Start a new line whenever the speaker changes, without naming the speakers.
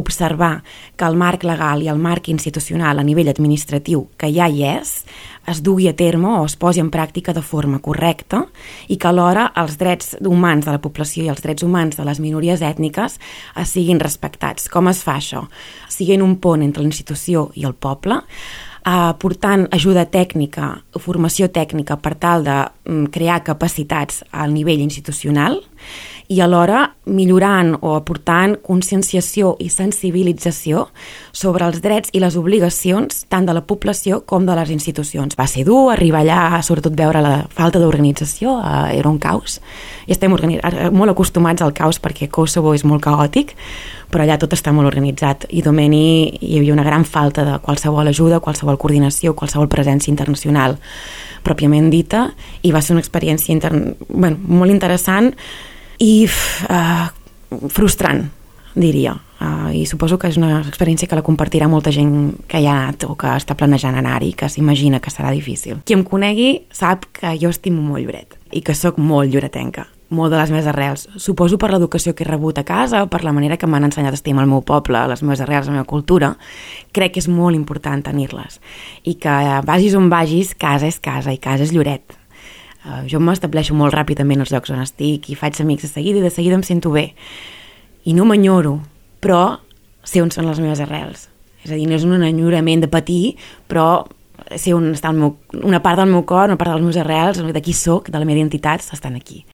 observar que el marc legal i el marc institucional a nivell administratiu que ja hi és, es dugui a terme o es posi en pràctica de forma correcta i que alhora els drets humans de la població i els drets humans de les minories ètniques siguin respectats. Com es fa això? Siguent un pont entre la institució i el poble, portant ajuda tècnica, formació tècnica per tal de crear capacitats al nivell institucional i alhora millorant o aportant conscienciació i sensibilització sobre els drets i les obligacions tant de la població com de les institucions. Va ser dur arribar allà, sobretot veure la falta d'organització, era un caos. I estem molt acostumats al caos perquè Kosovo és molt caòtic, però allà tot està molt organitzat. I Domeni hi havia una gran falta de qualsevol ajuda, qualsevol coordinació, qualsevol presència internacional pròpiament dita, i va ser una experiència molt interessant i frustrant, diria. I suposo que és una experiència que la compartirà molta gent que hi ha anat o que està planejant anar-hi, que s'imagina que serà difícil. Qui em conegui sap que jo estimo molt Lloret i que sóc molt lloretenca, molt de les meves arrels. Suposo per l'educació que he rebut a casa, per la manera que m'han ensenyat a estimar el meu poble, les meves arrels, la meva cultura, crec que és molt important tenir-les. I que vagis on vagis, casa és casa i casa és Lloret. Jo m'estableixo molt ràpidament als llocs on estic i faig amics de seguida i de seguida em sento bé. I no m'enyoro, però sé on són les meves arrels. És a dir, no és un enyorament de patir, però sé on està una part del meu cor, una part dels meus arrels, de qui soc, de la meva identitat, estan aquí.